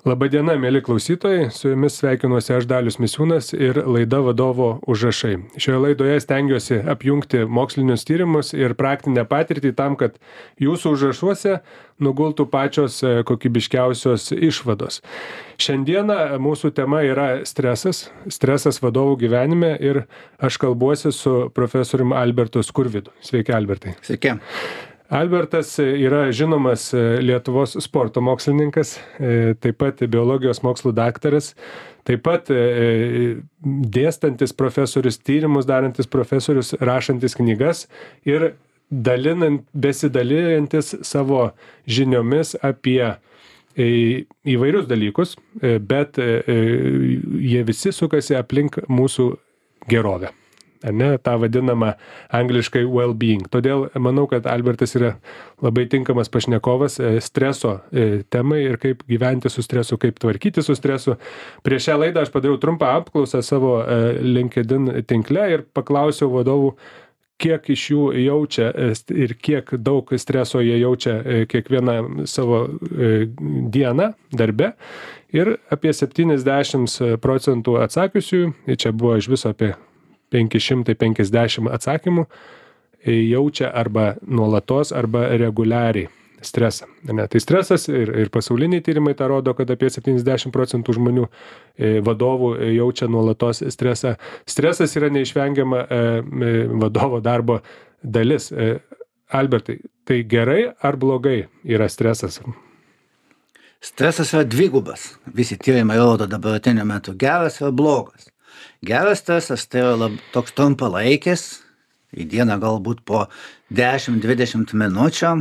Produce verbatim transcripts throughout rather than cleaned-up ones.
Labadiena, mėly klausytojai, su jumis sveikinuosi aš Dalius Misiūnas ir laida Vadovo užrašai. Šioje laidoje stengiuosi apjungti mokslinius tyrimus ir praktinę patirtį tam, kad jūsų užrašuose nugultų pačios kokybiškiausios išvados. Šiandieną mūsų tema yra stresas, stresas vadovų gyvenime ir aš kalbuosi su profesoriumi Albertu Skurvydu. Sveiki, Albertai. Sveiki. Albertas yra žinomas Lietuvos sporto mokslininkas, taip pat biologijos mokslų daktaras, taip pat dėstantis profesorius, tyrimus darantis profesorius, rašantis knygas ir dalinant, besidalijantis savo žiniomis apie įvairius dalykus, bet jie visi sukasi aplink mūsų gerovę. Ne, tą vadinamą angliškai well-being. Todėl manau, kad Albertas yra labai tinkamas pašnekovas streso temai ir kaip gyventi su stresu, kaip tvarkyti su stresu. Prieš šią laidą aš padariau trumpą apklausą savo LinkedIn tinkle ir paklausiau vadovų, kiek iš jų jaučia ir kiek daug streso jie jaučia kiekvieną savo dieną darbe. Ir apie septyniasdešimt procentų atsakiusių, čia buvo iš viso apie penki šimtai penkiasdešimt atsakymų, jaučia arba nuolatos, arba reguliariai stresą. Ne, tai stresas ir, ir pasauliniai tyrimai tą rodo, kad apie septyniasdešimt procentų žmonių vadovų jaučia nuolatos stresą. Stresas yra neišvengiama vadovo darbo dalis. Albertai, tai gerai ar blogai yra stresas? Stresas yra dvigubas. Visi tyrimai rodo dabartiniu metu geras ir blogas. Geras stresas tai yra lab, toks trumpalaikis, į dieną galbūt po dešimt dvidešimt minučių,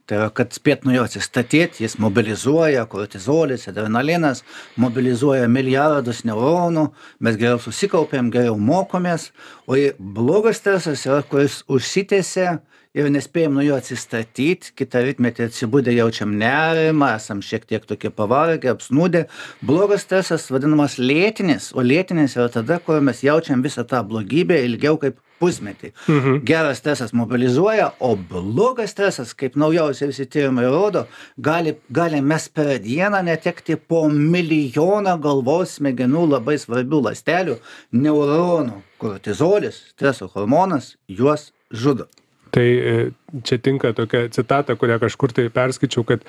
tai yra, kad spėt nuo jo atsistatyti, jis mobilizuoja kortizolis, adrenalinas, mobilizuoja milijardus neuronų, mes geriau susikaupiam, geriau mokomės, o blogas stresas yra, kuris užsitęsia ir nespėjom nuo jo atsistatyti, kitą rytmetį atsibudę jaučiam nerimą, esam šiek tiek tokie pavargę, apsnūdę. Blogas stresas vadinamas lėtinis, o lėtinis yra tada, kur mes jaučiam visą tą blogybę ilgiau kaip pusmetį. Mhm. Geras stresas mobilizuoja, o blogas stresas, kaip naujausiai visi tyrimai rodo, gali, gali mes per dieną netekti po milijoną galvos smegenų labai svarbių ląstelių, neuronų, kortizolis, streso hormonas, juos žudo. Tai čia tinka tokia citata, kurią kažkur tai perskaičiau, kad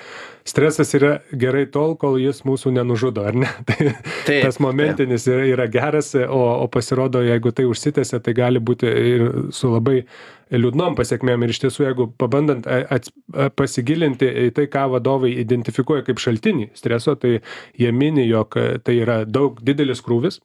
stresas yra gerai tol, kol jis mūsų nenužudo, ar ne? Tai taip, tas momentinis yra, yra geras, o, o pasirodo, jeigu tai užsitęsia, tai gali būti ir su labai liūdnom pasiekmėm. Ir iš tiesų, jeigu pabandant ats, pasigilinti į tai, ką vadovai identifikuoja kaip šaltinį streso, tai jie mini, jog tai yra daug didelis krūvis.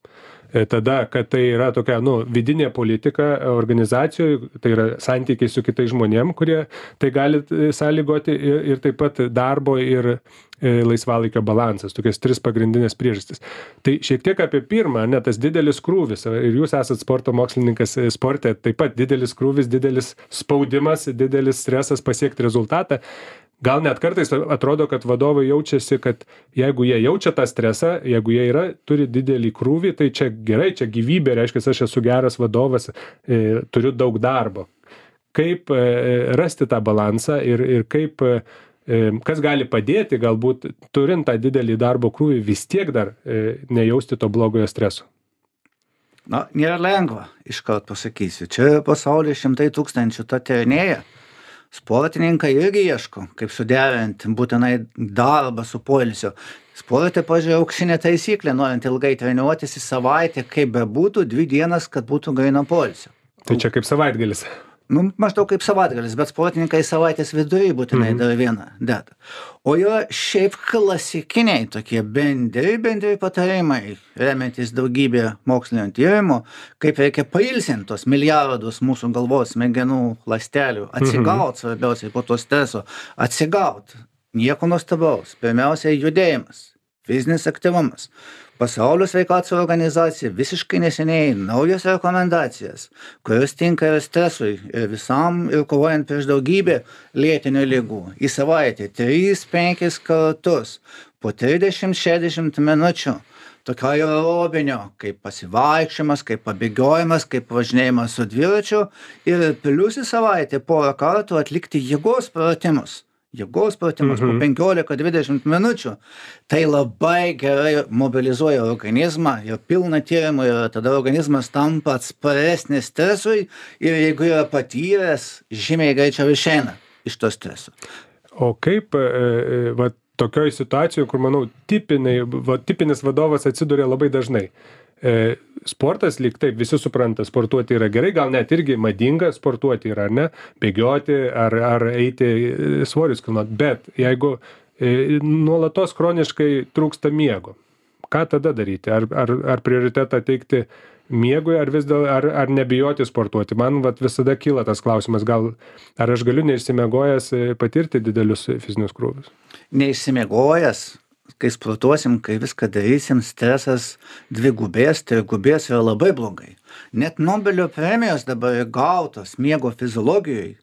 Tada, kad tai yra tokia, nu, vidinė politika organizacijoje, tai yra santykiai su kitais žmonėm, kurie tai gali sąlygoti ir, ir taip pat darbo ir laisvalaikio balansas, tokias tris pagrindinės priežastis. Tai šiek tiek apie pirmą, ne, tas didelis krūvis, ir jūs esat sporto mokslininkas sporte, taip pat didelis krūvis, didelis spaudimas, didelis stresas pasiekti rezultatą. Gal net kartais atrodo, kad vadovai jaučiasi, kad jeigu jie jaučia tą stresą, jeigu jie yra, turi didelį krūvį, tai čia gerai, čia gyvybė, reiškia, aš esu geras vadovas, e, turiu daug darbo. Kaip e, rasti tą balansą ir, ir kaip, e, kas gali padėti, galbūt turint tą didelį darbo krūvį, vis tiek dar e, nejausti to blogojo streso? Na, nėra lengva, iškart pasakysiu. Čia pasaulyje šimtai tūkstančių tą tyrinėja. Sportininkai irgi ieško, kaip suderinti būtinai darbą su poilsiu. Sporte, pažiūrėjau, auksinė taisyklė, norint ilgai treniruotis į savaitę, kaip bebūtų, dvi dienas, kad būtų gryno poilsio. Tai čia kaip savaitgalis? Nu, maždaug kaip savaitgalis, bet sportininkai savaitės vidury būtinai mm-hmm. dar vieną deda. O yra šiaip klasikiniai tokie bendri, bendri patarimai, remiantis daugybė mokslinio tyrimų, kaip reikia pailsinti tos milijardus mūsų galvos smegenų ląstelių, atsigaut, mm-hmm. svarbiausiai po to streso, atsigaut. Nieko nuostabaus. Pirmiausia, judėjimas, fizinis aktyvumas. Pasaulio sveikatos organizacija visiškai neseniai naujas rekomendacijas, kurios tinka ir stresui, ir visam, ir kovojant prieš daugybę lėtinių ligų. Į savaitę tris penkis kartus po trisdešimt šešiasdešimt minučių. Tokio aerobinio, kaip pasivaikščiojimas, kaip pabėgiojimas, kaip važinėjimas su dviračiu ir plius į savaitę porą kartų atlikti jėgos pratimus. jėgos pratimus Mhm. po penkiolika dvidešimt minučių, tai labai gerai mobilizuoja organizmą ir pilna tyrimų ir tada organizmas tampa atsparesnis stresui ir jeigu yra patyręs, žymiai greičiau išeina iš to streso. O kaip, e, va, tokioj situacijoje, kur, manau, tipiniai, va, tipinis vadovas atsiduria labai dažnai. E, sportas lyg taip, visi supranta, sportuoti yra gerai, gal net irgi madinga sportuoti yra, ar ne, bėgioti, ar, ar eiti svorius kilnot, bet jeigu e, nuolatos kroniškai trūksta miego, ką tada daryti? Ar, ar, ar prioritetą teikti miegui, ar vis dėl, ar, ar nebijoti sportuoti? Man vat, visada kyla tas klausimas, gal ar aš galiu neišsimiegojęs patirti didelius fizinius krūvius? Neišsimiegojęs, kai sportuosim, kai viską darysim, stresas dvigubės, trigubės yra labai blogai. Net Nobelio premijos dabar gautos miego fiziologijoje,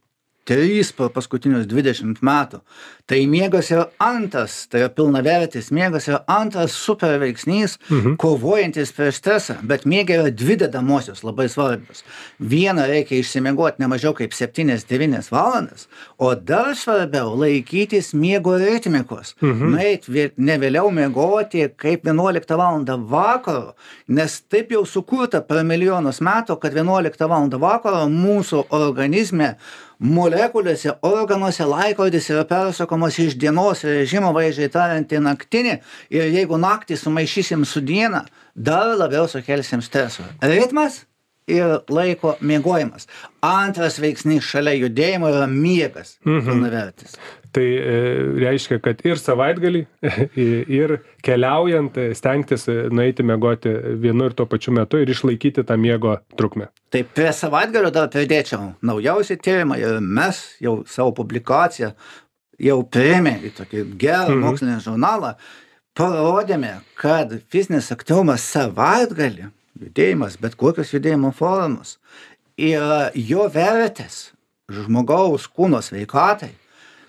trys per paskutinius dvidešimt metų. Tai miegas yra antras, tai yra pilnavertis miegas yra antras super veiksnys, mhm. kovojantis prieš stresą, bet miega yra dvi dedamosios labai svarbios. Vieną reikia išsimiegoti ne mažiau kaip septynias devynias valandas, o dar svarbiau laikytis miego ritmikos. Mhm. Nueit ne vėliau miegoti kaip vienuoliktą valandą vakaro, nes taip jau sukurta per milijonus metų, kad vienuoliktą valandą vakaro mūsų organizme molekulėse, organuose laikrodis yra persukamos iš dienos režimo, vaizdžiai tariant, į naktinį, ir jeigu naktį sumaišysim su diena, dar labiau sukelsim streso. Ritmas ir laiko miegojimas. Antras veiksnys šalia judėjimo yra miegas, mhm. pilnavertis. Tai e, reiškia, kad ir savaitgalį, ir keliaujant stengtis nueiti miegoti vienu ir tuo pačiu metu ir išlaikyti tą miego trukmę. Tai prie savaitgalio dar pridėčiau naujausią tyrimą ir mes jau savo publikaciją jau priėmė į tokį gerą mhm. mokslinį žurnalą, parodėme, kad fizinis aktyvumas savaitgalį, judėjimas, bet kokios judėjimo formos, yra jo vertės žmogaus kūno sveikatai,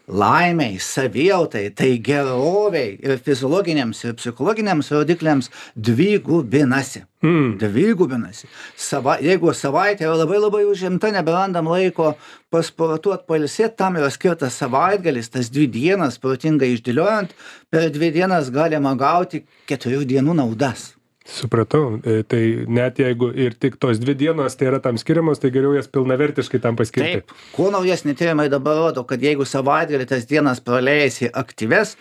laimiai, savijautai, tai geroviai ir fiziologiniams ir psichologiniams rodikliams dvigubinasi. Mm. Dvigubinasi. Sava, jeigu savaitė yra labai labai užimta, neberandam laiko pasportuot, pailsėt, tam yra skirtas savaitgalis, tas dvi dienas protingai išdėliojant, per dvi dienas galima gauti keturių dienų naudas. Supratau, tai net jeigu ir tik tos dvi dienos tai yra tam skiriamos, tai geriau jas pilnavertiškai tam paskirti. Taip, kuo naujesni tyrimai dabar rodo, kad jeigu savaitgalį tas dienas praleisi aktyves,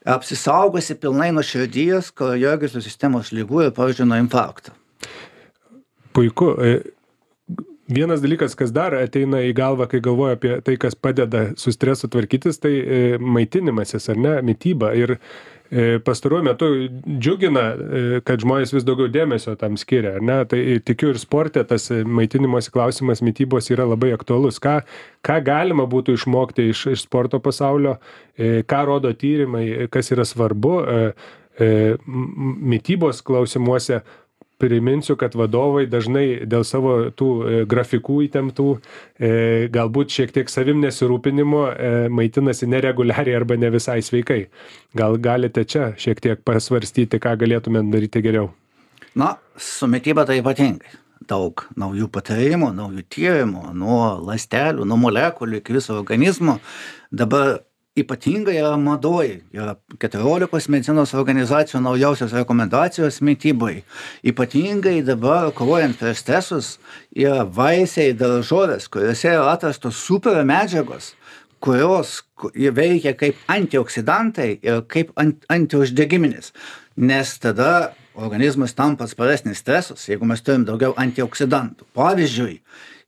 apsisaugosi pilnai nuo širdies, kraujagyslių sistemos ligų ir, pavyzdžiui, nuo infarkto. Puiku. Vienas dalykas, kas dar ateina į galvą, kai galvoju apie tai, kas padeda su stresu tvarkytis, tai maitinimasis, ar ne, mityba. Ir pastaruoju metu džiugina, kad žmonės vis daugiau dėmesio tam skiria, ar ne? Tai tikiu ir sporte tas maitinimosi klausimas mitybos yra labai aktualus. Ką, ką galima būtų išmokti iš, iš sporto pasaulio, ką rodo tyrimai, kas yra svarbu mitybos klausimuose. Priminsiu, kad vadovai dažnai dėl savo tų grafikų įtemptų, galbūt šiek tiek savim nesirūpinimo maitinasi nereguliariai arba ne visai sveikai. Gal galite čia šiek tiek pasvarstyti, ką galėtume daryti geriau? Na, su mityba tai ypatingai. Daug naujų patarimų, naujų tyrimų, nuo ląstelių, nuo molekulių iki viso organizmo. Dabar ypatingai yra madoj, yra keturiolikos medicinos organizacijų naujausios rekomendacijos mitybai. Ypatingai dabar, kovojant prieš stresus, yra vaisiai, daržovės, kuriuose yra atrastos super medžiagos, kurios veikia kaip antioksidantai ir kaip antiuždegiminis. Nes tada organizmas tampa atsparesnis stresus, jeigu mes turim daugiau antioksidantų. Pavyzdžiui,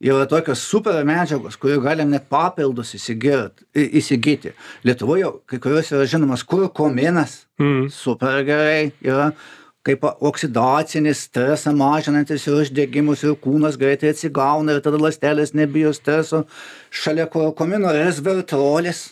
yra tokios super medžiagos, kurių galim net papildus įsigyti. Lietuvoje kai kurios yra žinomas kurkuminas, mm. super gerai yra, kaip oksidacinis stresą mažinantis ir uždegimus ir kūnas greitai atsigauna ir tada ląstelės nebijo streso. Šalia kurkumino resveratrolis,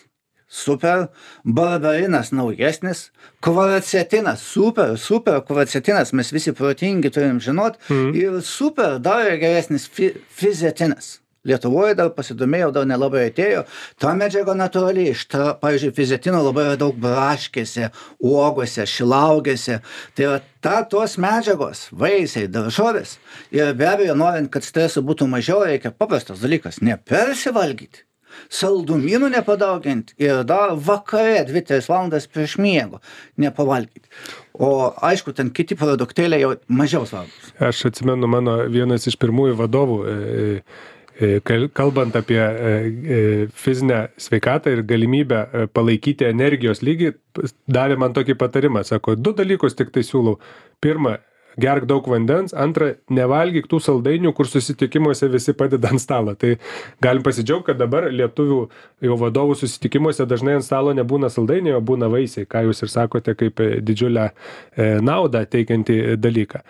super, barbarinas naujesnis, kvaracetinas, super, super kvaracetinas, mes visi protingi turim žinot, mm. ir super dar geresnis fi, fizetinas. Lietuvoje dar pasidomėjau, dar nelabai atėjo, ta medžiaga natūraliai, šta, pavyzdžiui, fizetino labai yra daug braškėse, uogose, šilaugėse, tai yra ta, tos medžiagos, vaisiai, daržovės, ir be abejo, norint, kad streso būtų mažiau, reikia paprastas dalykas, nepersivalgyti. saldumynų nepadauginti ir dar vakare dvi tris valandas prieš miego nepavalgyti. O aišku, ten kiti produktėliai jau mažiau svarbus. Aš atsimenu mano vienas iš pirmųjų vadovų, kalbant apie fizinę sveikatą ir galimybę palaikyti energijos lygį, davė man tokį patarimą. Sako, du dalykus tik tai siūlau. Pirma, gerk daug vandens, antra, nevalgyk tų saldainių, kur susitikimuose visi padeda ant stalo. Tai galim pasidžiaugti, kad dabar lietuvių jau vadovų susitikimuose dažnai ant stalo nebūna saldainiai, o būna vaisiai, ką jūs ir sakote kaip didžiulę naudą teikiantį dalyką.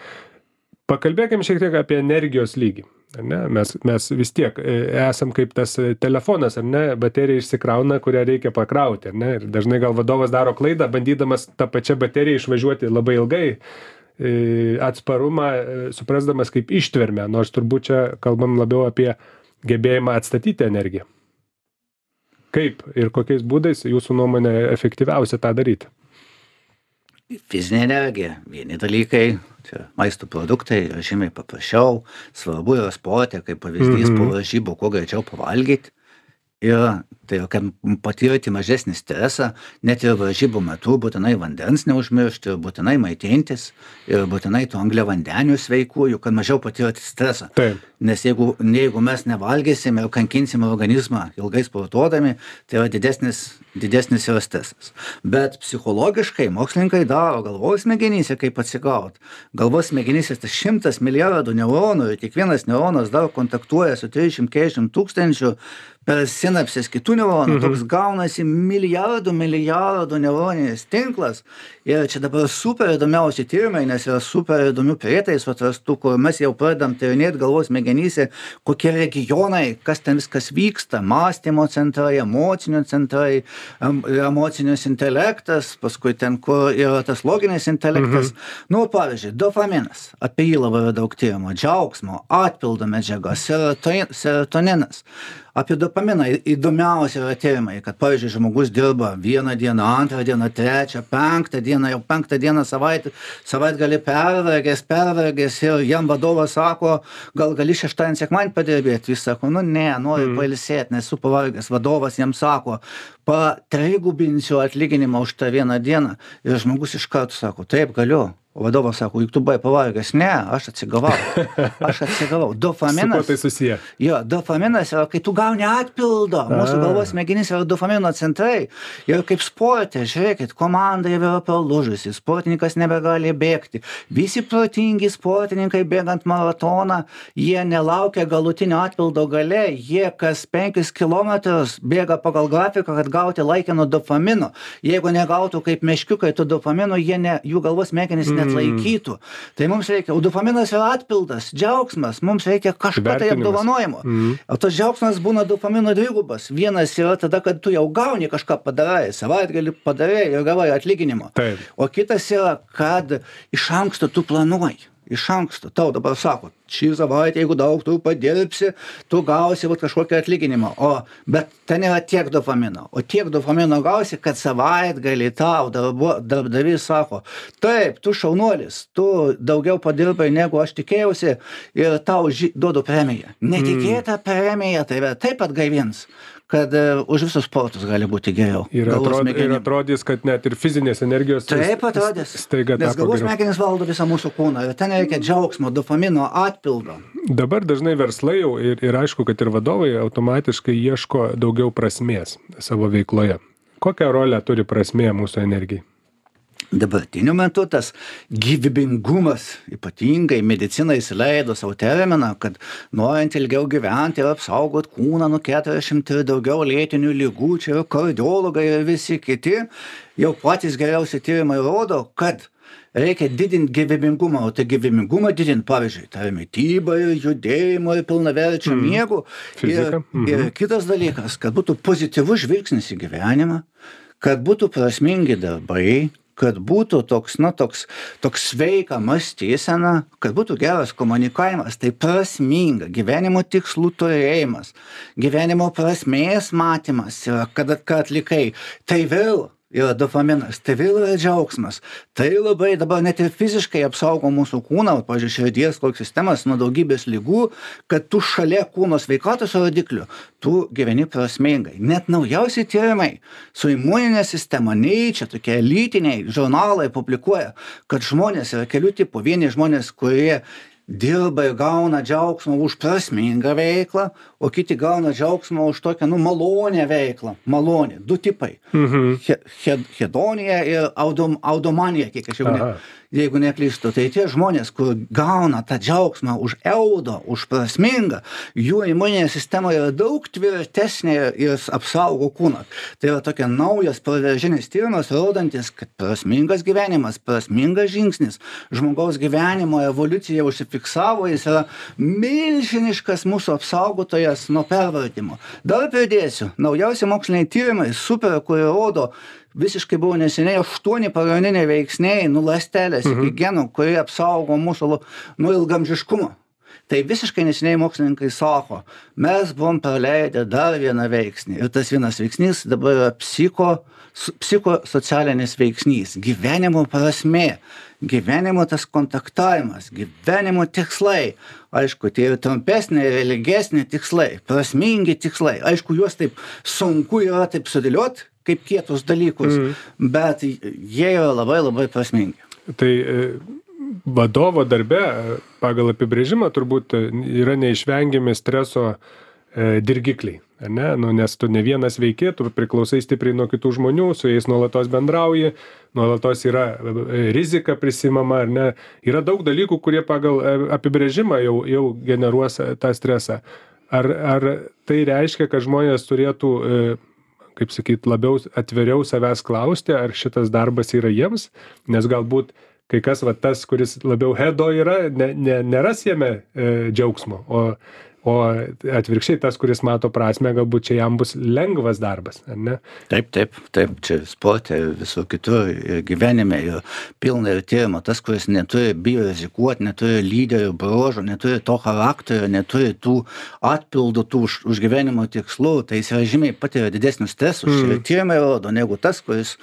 Pakalbėkim šiek tiek apie energijos lygį. Ar ne? Mes, mes vis tiek esam kaip tas telefonas, ar ne? Baterija išsikrauna, kurią reikia pakrauti. Ar ne? Ir dažnai gal vadovas daro klaidą, bandydamas tą pačią bateriją išvažiuoti labai ilgai, atsparumą, suprasdamas kaip ištvermę, nors turbūt čia kalbam labiau apie gebėjimą atstatyti energiją. Kaip ir kokiais būdais jūsų nuomonė efektyviausia tą daryti? Fizinė energija, vieni dalykai, čia maisto produktai, yra žymiai paprasčiau, svarbu yra sporte, kaip pavyzdys, mm-hmm. po varžybų, kuo greičiau pavalgyti. Ir tai, kad patirti mažesnį stresą, net ir varžybų metu būtinai vandens neužmiršti, būtinai maitintis ir būtinai tų angliavandenių sveikųjų, kad mažiau patirti stresą. Taip. Nes jeigu, jeigu mes nevalgysime ir kankinsime organizmą ilgai sportuodami, tai yra didesnis, didesnis yra stresas. Bet psichologiškai mokslininkai daro galvos smegenyse, kaip atsigauti. Galvos smegenyse tai šimtas milijardų neuronų ir kiekvienas neuronas dar kontaktuoja su trisdešimt keturiasdešimt tūkstančių per sinapses kitų neuronų, mhm. toks gaunasi milijardų, milijardų neuroninis tinklas. Ir čia dabar super įdomiausi tyrimai, nes yra super įdomių prietaisų atrastų, kur mes jau pradedam tyrinėti galvos smegenyse, kokie regionai, kas ten viskas vyksta, mąstymo centrai, emocinio centrai, emocinis intelektas, paskui ten, kur yra tas loginis intelektas. Mhm. Nu, pavyzdžiui, dopaminas, apie jį labai daug tyrimo, džiaugsmo, atpildo medžiaga, serotoninas. Apie dopaminą įdomiausia yra tyrimai, kad, pavyzdžiui, žmogus dirba vieną dieną, antrą dieną, trečią, penktą dieną, jau penktą dieną savaitę, savaitgalį pervargęs, pervargęs ir jam vadovas sako, gal gali šeštadienį sekmadienį padirbėti. Jis sako, nu ne, noriu mm. pailsėti, nes esu pavargęs. Vadovas jam sako, patrigubinsiu atlyginimą už tą vieną dieną. Ir žmogus iš karto sako, taip, galiu. O vadovas sako, juk tu buvai pavargęs. Ne, aš atsigavau. Aš atsigavau. Dopaminas. Su kuo tai susiję? Jo, dopaminas yra, kai tu gauni atpildo. Mūsų galvos smegenys yra dopamino centrai. Ir kaip sporte, žiūrėkit, komanda jau yra palūžusi, sportininkas nebegali bėgti. Visi protingi sportininkai bėgant maratoną, jie nelaukia galutinio atpildo gale, jie kas penkis kilometrus bėga pagal grafiką, kad gauti laikino dopamino. Jeigu negautų kaip meškiukai to dopamino, jie ne, jų galvos smegenys ne atlaikytų. Tai mums reikia, o dopaminas yra atpildas, džiaugsmas, mums reikia kažką tai apdovanojimo. Mm. O tas džiaugsmas būna dopamino dvigubas. Vienas yra tada, kad tu jau gauni kažką padarai, savaitgalį padarai ir gavai atlyginimo. Taip. O kitas yra, kad iš anksto tu planuoji. Iš anksto. Tau dabar sako, šį savaitę, jeigu daug tu padirbsi, tu gausi vat, kažkokį atlyginimą. O, bet ten yra tiek dopamino. O tiek dopamino gausi, kad savaitgalį tau darbo, darbdavys sako, taip, tu šaunuolis, tu daugiau padirbai, negu aš tikėjausi ir tau ži, duodu premiją. Netikėta mm. premija, tai yra taip atgaivins, kad uh, už visus sportus gali būti geriau. Ir, atrod, ir atrodys, kad net ir fizinės energijos taip atrodys, staiga nes galvos smegenys valdo visą mūsų kūną ir ten reikia džiaugsmo, dopamino, atpildo. Dabar dažnai verslai jau ir, ir aišku, kad ir vadovai automatiškai ieško daugiau prasmės savo veikloje. Kokią rolę turi prasmė mūsų energijai? Dabartiniu metu tas gyvybingumas, ypatingai medicina įsileido savo terminą, kad norint ilgiau gyventi ir apsaugot kūną nuo keturiasdešimt ir daugiau lėtinių ligų, čia yra kardiologai ir visi kiti, jau patys geriausi tyrimai rodo, kad reikia didinti gyvybingumą, o tai gyvybingumą didinti, pavyzdžiui, tai mitybą ir judėjimo ir pilnaverčio mm. miego. Ir, mm-hmm. ir kitas dalykas, kad būtų pozityvus žvilgsnis į gyvenimą, kad būtų prasmingi darbai, kad būtų toks, na, toks, toks sveika mąstysena, kad būtų geras komunikavimas, tai prasminga, gyvenimo tikslų turėjimas, gyvenimo prasmės matymas yra, kad, kad atlikai, tai vėl yra dopaminas, tai vėl yra džiaugsmas. Tai labai dabar net ir fiziškai apsaugo mūsų kūną, pavyzdžiui, širdies koks sistemas nuo daugybės ligų, kad tu šalia kūno sveikatos rodiklių, tu gyveni prasmingai. Net naujausi tyrimai su imuninė sistema, nei čia tokie elitiniai žurnalai publikuoja, kad žmonės yra kelių tipų. Vieni žmonės, kurie dirba ir gauna džiaugsmą už prasmingą veiklą, o kiti gauna džiaugsmą už tokią, nu, malonę veiklą. Malonė. Du tipai. Mhm. He, he, hedonija ir audom, audomanija, kiek aš jau ne, jeigu neklystu. Tai tie žmonės, kur gauna tą džiaugsmą už eudo, už prasmingą, jų imuninė sistema yra daug tvirtesnė ir apsaugo kūną. Tai yra tokia naujas proveržinis tyrimas, rodantis, kad prasmingas gyvenimas, prasmingas žingsnis, žmogaus gyvenimo evoliucija užsifiksavo, jis yra milžiniškas mūsų apsaugotojas nuo pervartimo. Dar pridėsiu, naujausi moksliniai tyrimai, super, kurie rodo, visiškai buvo neseniai aštuoni pagrindiniai veiksniai, nu, ląstelės iki genų, kurie apsaugo mūsų nuo ilgamžiškumo. Tai visiškai neseniai mokslininkai sako, mes buvom praleidę dar vieną veiksnį. Ir tas vienas veiksnys dabar yra psicho, psichosocialinis veiksnys, gyvenimo prasmė, gyvenimo tas kontaktavimas, gyvenimo tikslai. Aišku, tai yra trumpesnė ir ilgesnė tikslai, prasmingi tikslai. Aišku, juos taip sunku yra taip sudėlioti, kaip kietus dalykus, mm. bet jie yra labai labai prasmingi. Tai vadovo darbe pagal apibrėžimą turbūt yra neišvengiami streso e, dirgikliai, ne? Nu, nes tu ne vienas veiki, tu priklausai stipriai nuo kitų žmonių, su jais nuolatos bendrauji, nuolatos yra rizika prisimama, ar ne? Yra daug dalykų, kurie pagal apibrėžimą jau, jau generuos tą stresą. Ar, ar tai reiškia, kad žmonės turėtų e, kaip sakyt, labiau atviriau savęs klausti, ar šitas darbas yra jiems, nes galbūt kai kas va tas, kuris labiau hedo yra, ne, ne, neras jame e, džiaugsmo, o, o atvirkščiai tas, kuris mato prasmę, galbūt čia jam bus lengvas darbas, ar ne? Taip, taip, taip, čia sporte ir visur kitur, ir gyvenime, ir pilna ir tyrimo, tas, kuris neturi bijo rizikuoti, neturi lyderių bruožų, neturi to charakterio, neturi tų atpildų tų už, už gyvenimo tikslų, tai jis yra žymiai patiria didesnius stresus, mm. ir tyrimai rodo, negu tas, kuris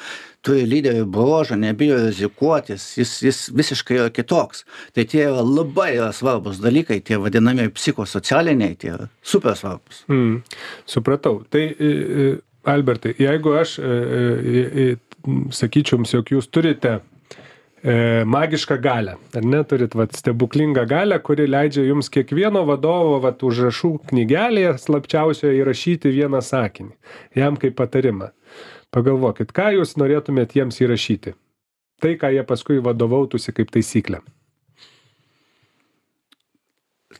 turi lyderių bruožų, nebijo rizikuotis, jis, jis visiškai yra kitoks. Tai tie yra labai yra svarbus dalykai, tie vadinami psichosocialiniai, tie yra super svarbus. Mm, supratau. Tai, Albertai, jeigu aš sakyčiau jums, jog jūs turite magišką galią, ar ne, turit vat, stebuklingą galią, kuri leidžia jums kiekvieno vadovo vat, užrašų knygelėje slapčiausioje įrašyti vieną sakinį, jam kaip patarimą. Pagalvokit, ką jūs norėtumėt jiems įrašyti? Tai, ką jie paskui vadovautųsi kaip taisyklė.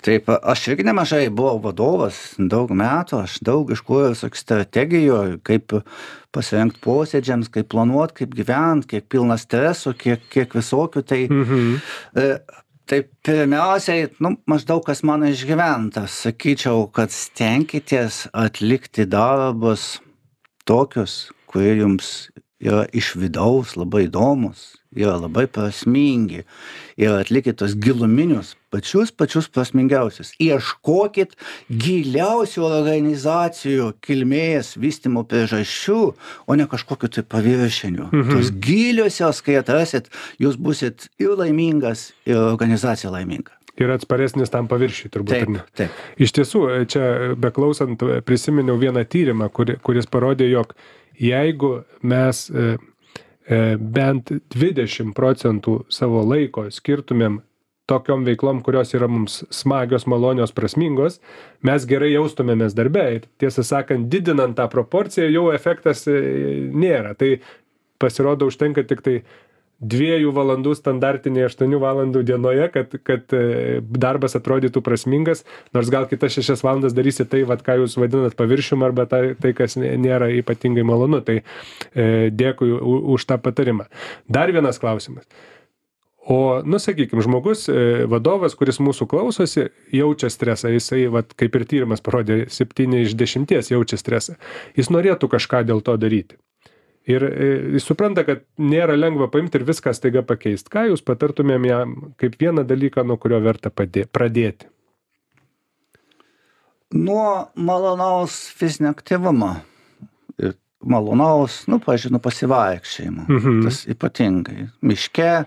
Taip, aš irgi nemažai buvau vadovas daug metų, aš daug iškūriau visokių strategijų, kaip pasirengti posėdžiams, kaip planuoti, kaip gyventi, kiek pilna streso, kiek, kiek visokių. Tai, mhm. e, tai pirmiausiai, nu, maždaug kas mano išgyventas, sakyčiau, kad stenkitės atlikti darbus tokius, kurie jums yra iš vidaus labai įdomus, yra labai prasmingi, ir atlikit tos giluminius, pačius pačius prasmingiausius. Ieškokit giliausių organizacijų kilmės vystymo priežasčių, o ne kažkokiu tai paviršiniu. Mhm. Tos giliosios, kai atrasit, jūs busit ir laimingas, ir organizacija laiminga. Ir atsparesnis tam paviršiui, turbūt. Taip, ar ne? taip. Iš tiesų, čia beklausant prisiminiau vieną tyrimą, kuri, kuris parodė, jog jeigu mes e, e, bent dvidešimt procentų savo laiko skirtumėm tokiom veiklom, kurios yra mums smagios, malonios, prasmingos, mes gerai jaustumėmės darbe. Ir tiesą sakant, didinant tą proporciją, jau efektas e, nėra. Tai pasirodo, užtenka tik tai dviejų valandų standartinėje aštuonių valandų dienoje, kad, kad darbas atrodytų prasmingas, nors gal kitas šešias valandas darysi tai, vat, ką jūs vadinat paviršium, arba tai, tai kas nėra ypatingai malonu. Tai e, dėkui už tą patarimą. Dar vienas klausimas. O, nu, sakykime, žmogus, e, vadovas, kuris mūsų klausosi, jaučia stresą, jisai, vat, kaip ir tyrimas parodė, septyni iš dešimties jaučia stresą. Jis norėtų kažką dėl to daryti. Ir jis supranta, kad nėra lengva paimti ir viską staiga pakeisti. Ką jūs patartumėm jam kaip vieną dalyką, nuo kurio verta padė, pradėti? Nuo malonaus fizinio aktyvumo. Ir malonaus, nu, pažinu, pasivaikščiojimo. Mhm. Tas ypatingai. Miške,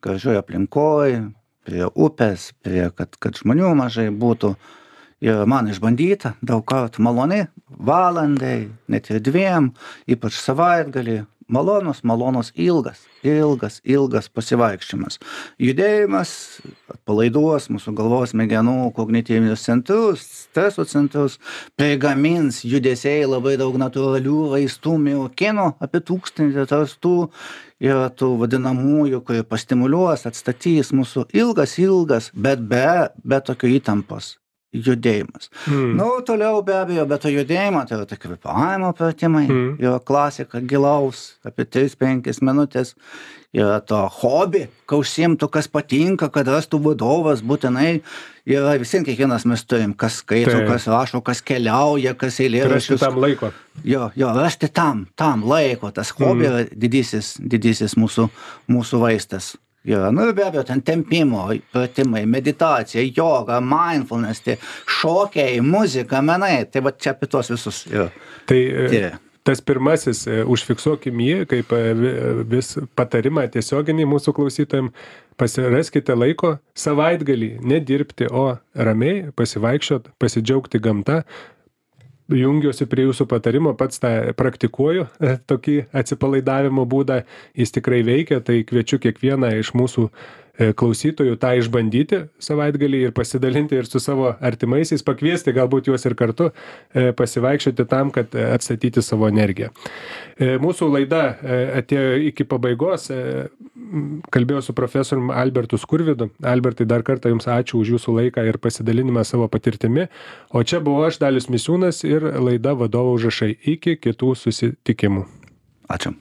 gražioj aplinkoje, prie upės, prie, kad, kad žmonių mažai būtų. Ir man išbandyta daug kartų maloni, valandai, net ir dviem, ypač savaitgalį. Malonus, malonus ilgas, ilgas, ilgas pasivaikščiojimas. Judėjimas atpalaiduos mūsų galvos smegenų kognityvinius centrus, streso centrus, prigamins judesiai labai daug natūralių vaistų, miokinų, apie tūkstantį atrastų ir tų vadinamųjų, kurie pastimuliuos, atstatys mūsų ilgas, ilgas, bet be, be tokio įtampos judėjimas. Mm. Nu, toliau be abejo, be to judėjimo, tai yra tai kvėpavimo pratimai, Mm. yra klasika gilaus, apie tris penkias minutės, yra to hobi, ką užsiimtų, kas patinka, kad rastų vadovas būtinai, yra visiems kiekvienas mes turim, kas skaito, Taip. kas rašo, kas keliauja, kas Rasti eilėraščius. tam laiko. Jo, jo, rasti tam, tam laiko, tas hobi yra didysis, didysis mūsų, mūsų vaistas. Jo, nu ir be abejo, ten tempimo, pratimai, meditacija, joga, mindfulness, tai šokiai, muzika, menai, tai va čia apie tuos visus. Jo. Tai e, Tie. tas pirmasis, e, užfiksuokim jį kaip e, vi- vis patarimą tiesioginį mūsų klausytojams, pasiraskite laiko savaitgalį nedirbti, o ramiai pasivaikščiot, pasidžiaugti gamta. Jungiuosi prie jūsų patarimo, pats tą praktikuoju, e, tokį atsipalaidavimo būdą, jis tikrai veikia, tai kviečiu kiekvieną iš mūsų e, klausytojų tą išbandyti savaitgalį ir pasidalinti ir su savo artimaisiais, pakviesti galbūt juos ir kartu e, pasivaikščioti tam, kad e, atstatyti savo energiją. E, Mūsų laida e, atėjo iki pabaigos, e, m, kalbėjau su profesoriumi Albertu Skurvydu. Albertai, dar kartą Jums ačiū už Jūsų laiką ir pasidalinimą savo patirtimi. O čia buvau aš, Dalius Misiūnas, ir laida Vadovo užrašai. Iki kitų susitikimų. Ačiū.